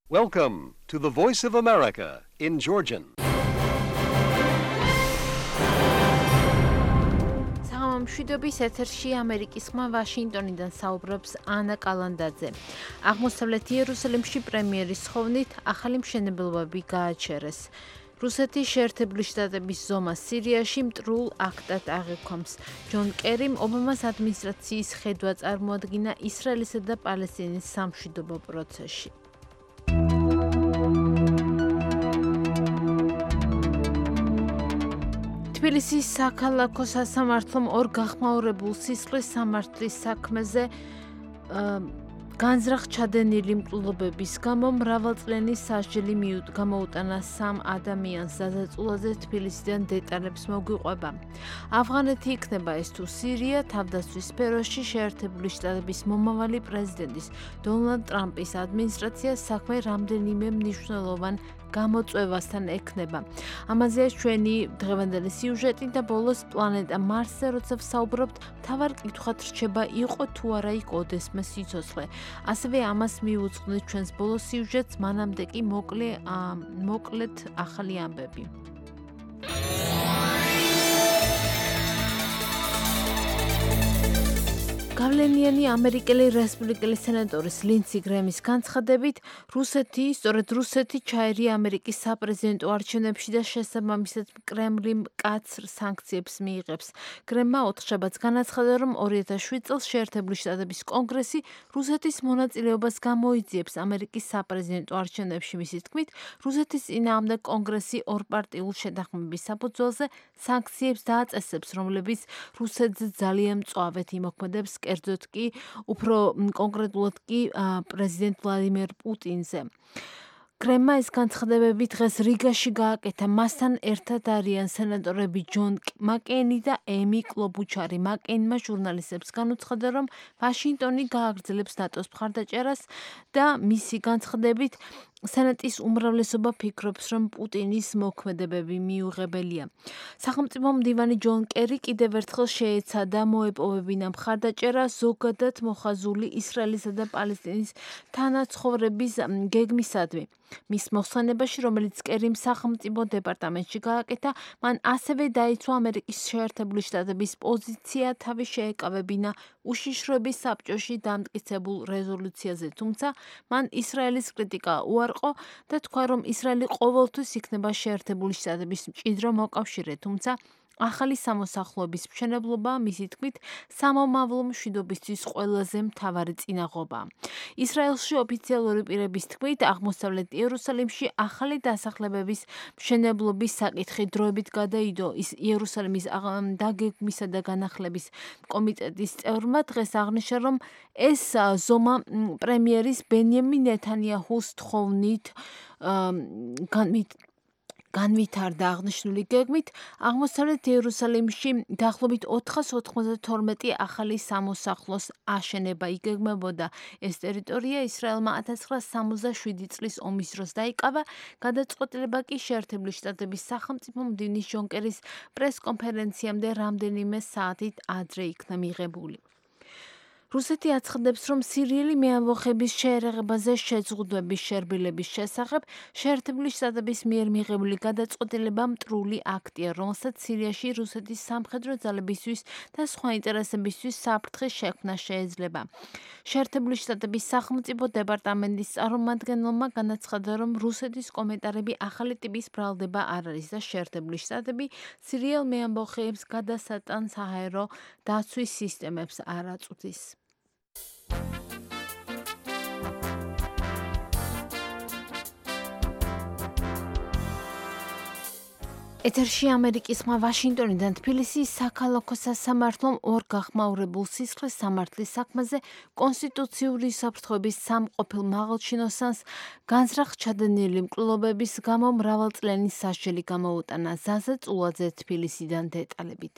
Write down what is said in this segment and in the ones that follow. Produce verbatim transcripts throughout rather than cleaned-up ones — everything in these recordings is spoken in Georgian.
Welcome to the Voice of America in Georgian. მშვიდობის ეთერში ამერიკის ხმა ვაშინგტონიდან საუბრობს ანა კალანდაძე. აღმოსავლეთ იერუსალიმში პრემიერის ხოვნით ახალი მშენებლობები გააჩერეს. რუსეთის შეერთებული შტატების ზომა სირიაში მტრულ აქტად აღიქვამს. ჯონ კერიმ ობამას ადმინისტრაციის ხედვა წარმოადგინა ისრაელისა და პალესტინის სამშვიდობო პროცესში. თბილისის საქალაქო სასამართლომ ორ გახმაურებულ სისხლის სამართლის საქმეზე განზრახ ჩადენილი მკვლელობების გამო მრავალწლიანი სასჯელი გამოუტანა სამ ადამიანს დადაწულაზე თბილისიდან დეტალებს მოგვიყვება. ავღანეთი იქნება ეს თუ სირია თავდაცვის სფეროში შეერთებული შტატების მომავალი პრეზიდენტის დონალდ ტრამპის ადმინისტრაციას საქმე რამდენიმე მნიშვნელოვან გამოწვევასთან ექნება. ამაზეა ჩვენი დღევანდელი სიუჟეტი და ბოლოს პლანეტა მარსზე როცა ვსაუბრობთ, მთავარ კითხვად რჩება იყო თუ არა იქ ოდესმე სიცოცხლე. ასევე ამას მივუძღვნით ჩვენს ბოლოს სიუჟეტს, მანამდე კი მოკლე მოკლედ ახალი ამბები. გავლენიანი ამერიკელი რესპუბლიკელი სენატორის ლინდსი გრემის განცხადებით, რუსეთი, სწორედ რუსეთი ჩაერია ამერიკის საპრეზიდენტო არჩევნებში და შესაბამისად კრემლი მკაცრ სანქციებს მიიღებს. გრემმა ოთხშაბათს განაცხადა, რომ ორი ათას შვიდ წელს შეერთებული შტატების კონგრესი რუსეთის მონაწილეობას გამოიძიებს ამერიკის საპრეზიდენტო არჩევნებში. მისი თქმით, რუსეთის წინააღმდეგ კონგრესი ორპარტიულ შეთანხმების საფუძველზე სანქციებს დააწესებს, რომლებიც რუსეთს ძალიან მწვავედ იმოქმედებს, კერძოდ კი უფრო კონკრეტულად კი პრეზიდენტ ვლადიმერ პუტინზე. კრემმა ეს განცხადებები დღეს რიგაში გააკეთა. მასთან ერთად არიან სენატორები ჯონ მაკეინი და ემი კლობუჩარი. მაკეინმა ჟურნალისტებს განუცხადა, რომ ვაშინგტონი გააგრძელებს ნატოს მხარდაჭერას და მისი განცხადებით სენატის უმრავლესობა ფიქრობს, რომ პუტინის მოქმედებები მიუღებელია. სახელმწიფო მდივანი ჯონ კერი კიდევ ერთხელ შეეცადა მოეპოვებინა მხარდაჭერა ზოგადად მოხაზული ისრაელისა და პალესტინის თანაცხოვრების გეგმისადმი. მის მოხსენებაში, რომელიც კერიმ სახელმწიფო დეპარტამენტში გააკეთა, მან ასევე დაიცვა ამერიკის შეერთებული შტატების პოზიცია თავი შეეკავებინა უშიშროების საბჭოში დამტკიცებულ რეზოლუციაზე, თუმცა მან ისრაელის კრიტიკა უარყო და თქვა, რომ ისრაელი ყოველთვის იქნება შეერთებული შტატების მჭიდრო მოკავშირე, თუმცა ახალი სამოსახლოების მშენებლობა, მისი თქმით, სამომავლო მშვიდობისთვის ყველაზე მთავარი წინაღობა. ისრაელში ოფიციალური პირების თქმით, აღმოსავლეთ იერუსალიმში ახალი დასახლებების მშენებლობის საკითხი დროებით გადაიდო. იერუსალიმის დაგეგმვისა და განახლების კომიტეტის წევრმა დღეს აღნიშნა, რომ ეს ზომა პრემიერის ბენიამინ ნეთანიაჰუს თხოვნით განვით განვითარდა. აღნიშნული გეგმით აღმოსავლეთ იერუსალიმში დაახლოებით ოთხას ოთხმოცდათორმეტი ახალი სამოსახლოს აშენება იგეგმებოდა. ეს ტერიტორია ისრაელმა ათას ცხრაასა სამოცდაშვიდი წლის ომის დროს დაიკავა. გადაწყვეტილება კი შეერთებული შტატების სახელმწიფო მდივნის ჯონ კერის პრესკონფერენციამდე რამდენიმე საათით ადრე იქნა მიღებული. რუსეთი აცხადებს, რომ სირიელი მეამბოხების შეერაღებაზე შეზღუდვების შერბილების შესახებ შეერთებული შტატების მიერ მიღებული გადაწყვეტილება მტრული აქტია, რომელსაც სირიაში რუსეთის სამხედრო ძალებისთვის და სხვა ინტერესებისთვის საფრთხის შექმნა შეეძლება. შეერთებული შტატების სახელმწიფო დეპარტამენტის წარმომადგენელმა განაცხადა, რომ რუსეთის კომენტარები ახალი ტიპის ბრალდება არ არის და შეერთებული შტატები სირიელ მეამბოხეებს გადასატან საჰაერო დაცვის სისტემებს არ აწვდის. ეთერში ამერიკის ხმა ვაშინგტონიდან თბილისის საქალაქო სასამართლომ ორ გახმაურებულ სისხლის სამართლის საქმეზე კონსტიტუციური საფრთხეების სამ ყოფილ მაღალჩინოსანს განზრახ ჩადენილი მკვლელობების გამო მრავალწლიანი სასჯელი გამოუტანა. ზაზა წულაძე თბილისიდან დეტალებით.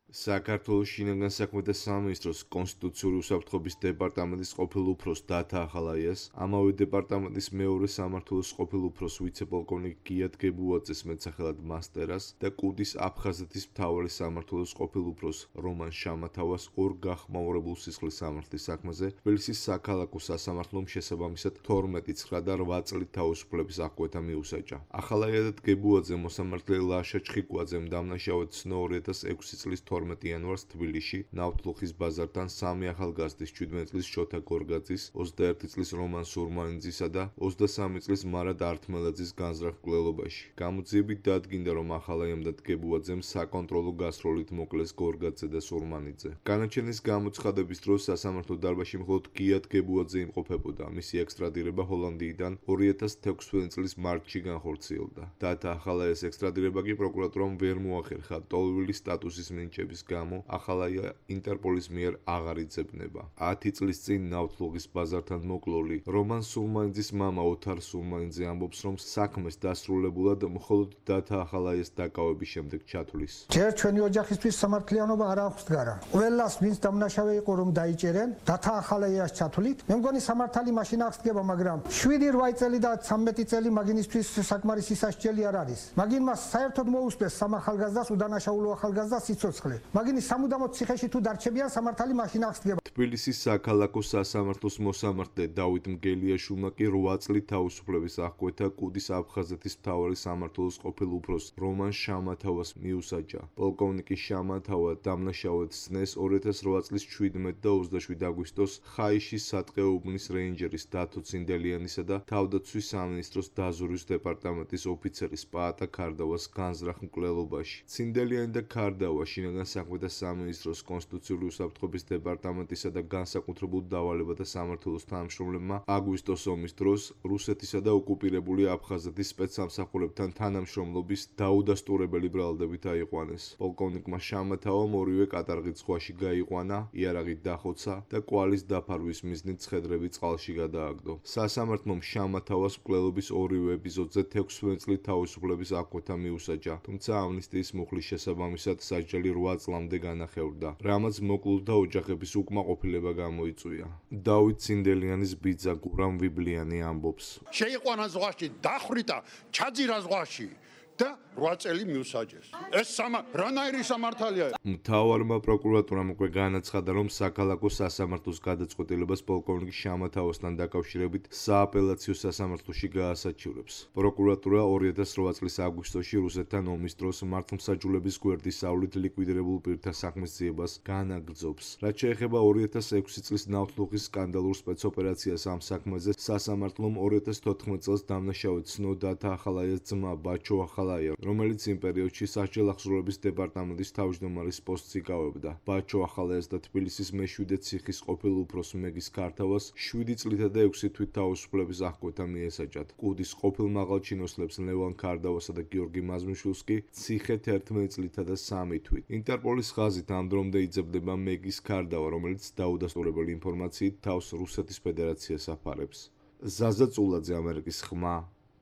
საქართველოს შინაგან საქმეთა სამინისტროს კონსტიტუციური უსაფრთხოების დეპარტამენტის ყოფილ უფროს დათა ახალაიას, ამავე დეპარტამენტის მეორე სამმართველოს ყოფილ უფროს ვიცე-პოლკოვნიკ გიათ გებუაძეს მეტსახელად მასტერას და კუდის აფხაზეთის მთავარი სამმართველოს ყოფილ უფროს რომან შამათავას ორ გახმაურებულ სისხლის სამართლის საქმეზე თბილისის საქალაქო სასამართლომ შესაბამისად თორმეტი, ცხრა და რვა წლით თავისუფლების აღკვეთა მიუსაჯა. ახალაია და გებუაძე მოსამართლე ლაშა ჩხიკვაძემ დამნაშავედ ცნო ორი ათას ექვსი წლის თორმეტი იანვარს თბილისში ნავთლუხის ბაზართან სამი ახალგაზრდის შვიდმეტი წლის შოთა გორგაძის, ოცდაერთი წლის რომან სურმანიძისა და ოცდასამი წლის მარად ართმელაძის განზრახ მკვლელობაში. გამოძიებით დადგინდა, რომ ახალაიამ და გებუაძემ საკონტროლო გასროლით მოკლეს გორგაძე და სურმანიძე. განაჩენის გამოცხადების დროს სასამართლო დარბაზში მხოლოდ გიათ გებუაძე იმყოფებოდა. მისი ექსტრადირება ჰოლანდიიდან ორი ათას თექვსმეტი წლის მარტში განხორციელდა. დათა ახალაიას ექსტრადირება კი პროკურატურამ ვერ მოახერხა ტოლვილი სტატუსის მინიჭების გამო ახალაია ინტერპოლის მიერ აღარ იძებნება. ათი წლის წინ ნავთლუღის ბაზართან მოკლოლი რომან სურმანიძის მამა ოთარ სურმანიძე ამბობს, რომ საქმეს დასრულებულად მხოლოდ დათა ახალაიას დაკავების შემდეგ ჩათვლის. ჯერ ჩვენი ოჯახისთვის სამართლიანობა არ აქვს დგარა. ყველას ვინც დამნაშავე იყო რომ დაიჭერენ, დათა ახალაიას ჩათვლით. მე მგონი სამართალი მაშინ აღს დგება, მაგრამ შვიდი რვა წელი და ცხრამეტი წელი მაგინისთვის საკმარისი სასჯელი არ არის. მაგინ მას საერთოდ მოუსწრეს სამ ახალგაზრდას უდანაშაულო ახალგაზრდას სიცოცხლე. მაგინი სამუდამოდ ციხეში თუ დარჩებიან, სამართალი მაშინ აღს დგება. თბილისის საქალაქო სასამართლოს მოსამართლე დავით მგელიაშვილმა კი რვა წლით თავისუფლების აღკვეთა კუდის აფხაზეთის მთავარი სამმართველოს ყოფილ უფროს რომან შამათავას მიუსაჯა. პოლკოვნიკი შამათავა დამნაშავედ სცნეს ორი ათას რვა წლის შვიდმეტი და ოცდაშვიდი აგვისტოს ხაიშის სატყეო უბნის რეინჯერის დათო ცინდელიანისა და თავდაცვის სამინისტროს დაზვერვის დეპარტამენტის ოფიცერის პაატა ქარდავას განზრახ მკვლელობაში. ცინდელიანი და ქარდავა შინაგან საქმეთა სამინისტროს კონსტიტუციური უსაფრთხოების დეპარტამენტისა და განსაკუთრებულ დავალებათა სამმართველოს თანამშრომლებმა აგვისტოს ომის დროს რუსეთისა და ოკუპირებული აფხაზეთის სპეცსამსახურებთან თანამშრომლობის დაუდასტურებელი ბრალდებით აიყვანეს. პოლკოვნიკმა შამათავამ ორივე კატარღით ზღვაში გაიყვანა, იარაღით დახოცა და კვალის დაფარვის მიზნით ცხედრები წყალში გადააგდო. სასამართლომ შამათავას მკვლელობის ორივე ეპიზოდზე თექვსმეტი წლით თავისუფლების აღკვეთა მიუსაჯა, თუმცა ამნისტიის მუხლის შესაბამისად სასჯელი რვა წლამდე განახევრდა, რამაც მოკლულ და ოჯახების უკმაყოფილება გამოიწვია. დავით ცინდელიანის ბიძა გურამ ვიბლიანი ამბობს. შეიყვანა ზღვაში, დახრიტა, ჩაძირა ზღვაში და რვა წელი მიუსაჯეს. ეს სამა რანაირი სამართალია? მთავარმა პროკურატურამ უკვე განაცხადა, რომ საქალაქო სასამართლოს გადაწყვეტილებას პოლკოვნიკ შამათავასთან დაკავშირებით სააპელაციო სასამართლოში გაასაჩივრებს. პროკურატურა ორი ათას რვა წლის აგვისტოში რუსეთთან ომის დროს მართლმსაჯულების გვერდის სავლით ლიკვიდირებულ პირთა საქმის ძიებას განაგრძობს. რაც შეეხება ორი ათას ექვსი წლის ნავთლუღის სკანდალურ სპეცოპერაციას ამ საქმეზე, სასამართლომ ორი ათას თოთხმეტი წელს დამნაშავედ ცნო დათა ახალაიას ძმა ბაჩო ახალაია, რომელიც იმ პერიოდში სასჯელ აღსრულების დეპარტამენტის თავმჯდომარის პოსტს იკავებდა. ბაჩო ახალაიას და თბილისის მეშვიდე ციხის ყოფილ უფროს მეგის ქართავას შვიდი წლითა და ექვსი თვით თავისუფლების აღკვეთა მიესაჯათ. კუდის ყოფილ მაღალჩინოსნებს ლევან ქარდავასა და გიორგი მაზმიშვილს კი ციხე თერთმეტი წლითა და სამი თვით. ინტერპოლის ხაზით ამ დრომდე იძებნება მეგის ქარდავა, რომელიც დაუდასტურებელი ინფორმაციით თავს რუსეთის ფედერაციას აფარებს. ზაზა წულაძე, ამერიკის ხმა,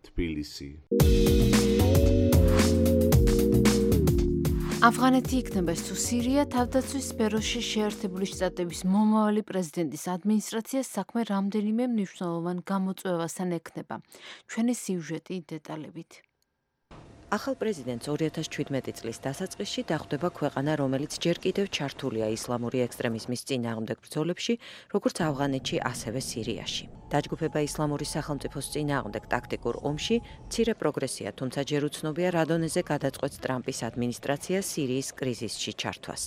თბილისი. ავღანეთი იქნება თუ სირია თავდაცვის სფეროში შეერთებული შტატების მომავალი პრეზიდენტის ადმინისტრაციას საქმე რამდენიმე მნიშვნელოვან გამოწვევასთან ექნება. ჩვენი სიუჟეტი დეტალებით. ახალ პრეზიდენტს ორი ათას შვიდმეტი წლის დასაწყისში დახვდება ქვეყანა, რომელიც ჯერ კიდევ ჩართულია ისლამური ექსტრემიზმის წინააღმდეგ ბრძოლებში, როგორც ავღანეთში, ასევე სირიაში. დაჯგუფება ისლამური სახელმწიფოს წინააღმდეგ ტაქტიკურ ომში მცირე პროგრესია, თუმცა ჯერ უცნობია რა დონეზე გადაწყვეტს ტრამპის ადმინისტრაცია სირიის კრიზისში ჩართვას.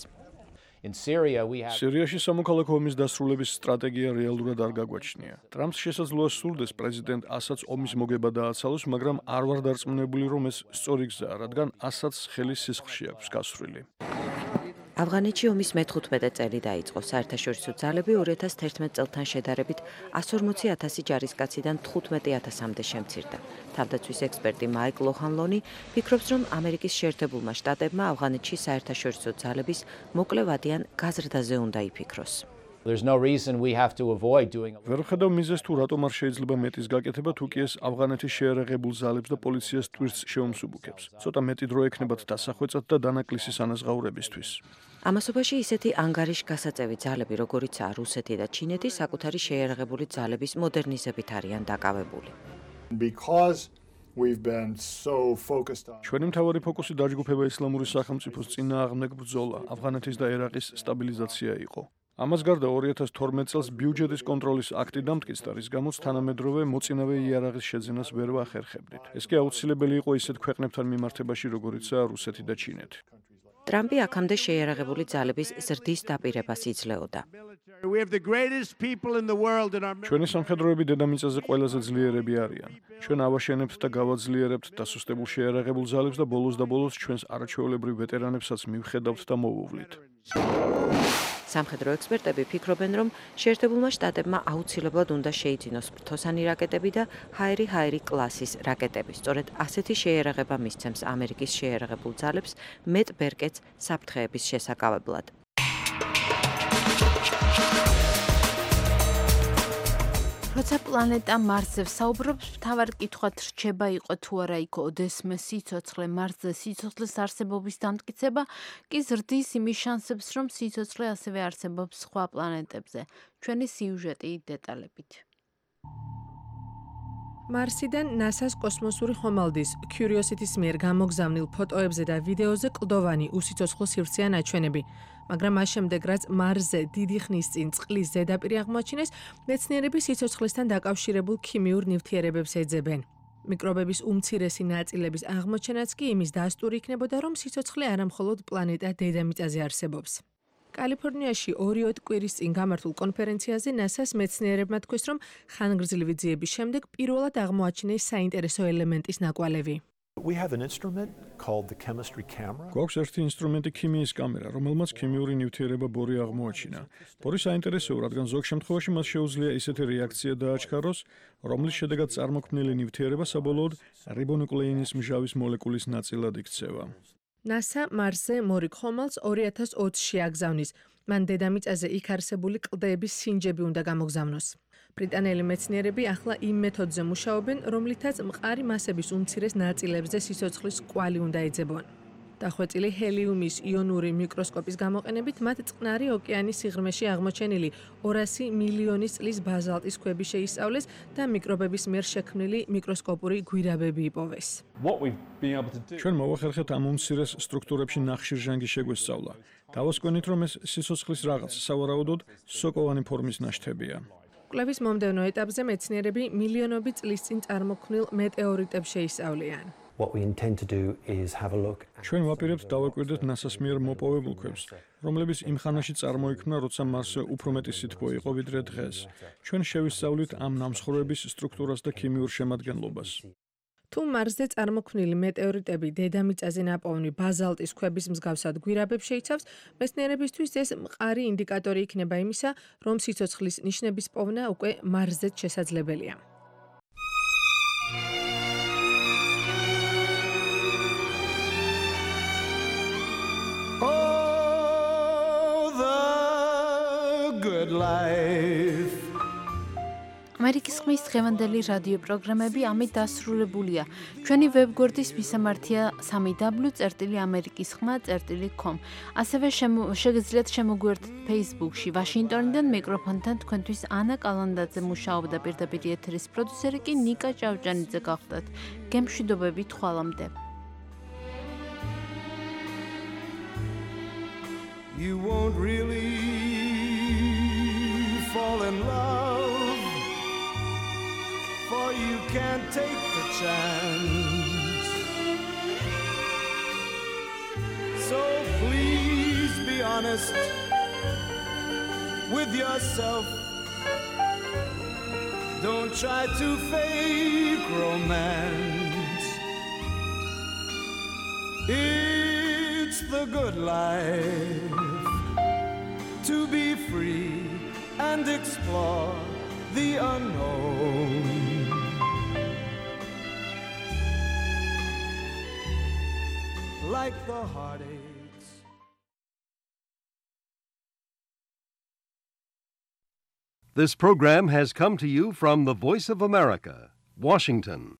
სირიაში სამოქალაქო ომის დასრულების სტრატეგია რეალურად არ გაგვაჩნია. ტრამპს შესაძლოა სურდეს პრეზიდენტ ასადს ომის მოგება დააცალოს, მაგრამ არ ვარ დარწმუნებული, რომ ეს სწორი გზაა, რადგან ასადს ხელის სისხლში აქვს გასვლილი. ავღანეთში ომის მეთერთმეტე წელი დაიწყო. საერთაშორისო ძალები ორი ათას თერთმეტ წელთან შედარებით εκατს ორმოცი ათასი ჯარისკაციდან თხუთმეტი ათასამდე შემცირდა. თავდაცვის ექსპერტი მაიკ ლოჰანლონი ფიქრობს, რომ ამერიკის შეერთებულმა შტატებმა ავღანეთში საერთაშორისო ძალების მოკლევადიან გაზრდაზე უნდა იფიქროს. ვერ ვხედავ მიზეზს თუ რატომ არ შეიძლება მეტის გაკეთება, თუ კი ეს ავღანეთის შეერაღებულ ძალებს და პოლიციას ტვირთს შეუმსუბუქებს. ცოტა მეტი დრო ექნებათ დასახვეწად და დანაკლისის ანაზღაურებისთვის. ამასობაში ისეთი ანგარიშგასაწევი ძალები, როგორიცაა რუსეთი და ჩინეთი, საკუთარი შეიარაღებული ძალების მოდერნიზებით არიან დაკავებული. ჩვენი მთავარი ფოკუსი დაჯგუფება ისლამური სახელმწიფოს წინააღმდეგ ბრძოლა, αφღანეთის და ერაყის სტაბილიზაცია იყო. ამას გარდა ორი ათას თორმეტ წელს ბიუჯეტის კონტროლის აქტი დამტკიცდა, რის გამოც თანამედროვე მოწინავე იარაღის შეძენას ვერ ვახერხებდით. ეს კი აუცილებელი იყო ისეთ ქვეყნებთან მიმართებაში, როგორიცაა რუსეთი და ჩინეთი. ტრამპი აქამდე შეიარაღებული ძალების ზრდის დაპირებას იძლეოდა. ჩვენი სამხედროები დედამიწაზე ყველაზე ძლიერები არიან. ჩვენ ავაშენებთ და გავაძლიერებთ დასუსტებულ შეიარაღებულ ძალებს და ბოლოს და ბოლოს ჩვენს არაჩვეულებრივ ვეტერანებსაც მივხედავთ და მოვუვლით. სამხედრო ექსპერტები ფიქრობენ, რომ შეერთებულმა შტატებმა აუცილებლად უნდა შეიძინოს ფრთოსანი რაკეტები და ჰაერი-ჰაერი კლასის რაკეტები. სწორედ ასეთი შეიარაღება მისცემს ამერიკის შეიარაღებულ ძალებს მეტ ბერკეტს საფრთხეების შესაკავებლად. როცა პლანეტა მარსზე ვსაუბრობთ, მთავარი კითხვად რჩება იყო თუ არა იქ ოდესმე სიცოცხლე. მარსზე სიცოცხლის არსებობის დამტკიცება კი ზრდის იმის შანსებს, რომ სიცოცხლე ასევე არსებობს სხვა პლანეტებზე. ჩვენი სიუჟეტი დეტალებით. მარსიდან ნასას კოსმოსური ხომალდის Curiosity-ის მიერ გამოგზავნილ ფოტოებზე და ვიდეოზე კლდოვანი უსიცოცხლო სივრცეა ნაჩვენები. მაგრამ მას შემდეგ, რაც მარსზე დიდი ხნის წინ წყლის ზედაპირი აღმოაჩინეს, მეცნიერები სიცოცხლესთან დაკავშირებულ ქიმიურ ნივთიერებებს ეძებენ. მიკრობების უმცირესი ნაწილების აღმოჩენაც კი იმის დასტური იქნებოდა, რომ სიცოცხლე არამხოლოდ პლანეტა დედამიწაზე არსებობს. კალიფორნიაში ორი-ოთხ კვირის წინ გამართულ კონფერენციაზე ნასას მეცნიერებმა თქვეს, რომ ხანგრძლივი ძიების შემდეგ პირველად აღმოაჩინეს საინტერესო ელემენტის ნაკვალევი. გვაქვს ერთი ინსტრუმენტი ქიმიის კამერა, რომელმაც ქიმიური ნივთიერება ბორი აღმოაჩინა. ბორი საინტერესოა, რადგან ზოგ შემთხვევაში მას შეუძლია ისეთი რეაქცია დააჩქაროს, რომლის შედეგად წარმოქმნილი ნივთიერება საბოლოოდ რიბონუკლეინის მჟავის მოლეკულის ნაწილად იქცევა. ნასა მარსზე მორიგ ხომალდს ორი ათას ოცში აგზავნის. მან დედამიწაზე იქ არსებული კლდეების სინჯები უნდა გამოგზავნოს. ბრიტანელი მეცნიერები ახლა იმ მეთოდზე მუშაობენ, რომლითაც მყარი მასების უმცირეს ნაწილებზე სიცოცხლის კვალი უნდა ეძებონ. დახვეწილი ჰელიუმის იონური მიკროსკოპის გამოყენებით მათ წყნარი ოკეანის სიღრმეში აღმოჩენილი ორასი მილიონი წლის ბაზალტის ქვები შეისწავლეს და მიკრობების მიერ შექმნილი მიკროსკოპური გვირაბები იპოვეს. ჩვენ მოვახერხეთ ამ უმცირეს სტრუქტურებში ნახშირჟანგი შეგვესწავლა. დავასკვენით, რომ ეს სიცოცხლის რაღაც, სავარაუდოდ სოკოვანი ფორმის ნაშთებია. კვლევის მომდევნო ეტაპზე მეცნიერები მილიონობით წლის წინ წარმოქმნილ მეტეორიტებს შეისწავლიან. ჩვენ ვაპირებთ დავაკვირდეთ ნასას მიერ მოპოვებულ ქვებს, რომლებიც იმ ხანაში წარმოიქმნა, როცა მარსზე უფრო მეტი სითბო იყო ვიდრე დღეს. ჩვენ შევისწავლით ამ ნამსხვრევების სტრუქტურას და ქიმიურ შემადგენლობას. თუ მარსზე წარმოქმნილი მეტეორიტები დედამიწაზე ნაპოვნი ბაზალტის ქვების მსგავსად გვირაბებს შეიცავს, მეცნიერებისთვის ეს მყარი ინდიკატორი იქნება იმისა, რომ სიცოცხლის ნიშნების პოვნა უკვე მარსზეც შესაძლებელია. ამერიკის ხმის დღევანდელი რადიო პროგრამები ამით დასრულებულია. ჩვენი ვებგვერდის მისამართია სამი დაბლიუ წერტილი ამერიკის ხმა წერტილი com. ასევე შეგიძლიათ შემოგვიერთდეთ Facebook-ში. ვაშინგტონიდან მიკროფონთან თქვენთვის ანა კალანდაძე მუშაობდა, პირდაპირ ეთერის პროდიუსერი კი ნიკა ჭავჭანიძე გახლდათ. გემშვიდობებით ხვალამდე. You won't really fall in love, for you can't take the chance. So please be honest with yourself. Don't try to fake romance. It's the good life to be free and explore the unknown. Like the heartaches. This program has come to you from the Voice of America, Washington.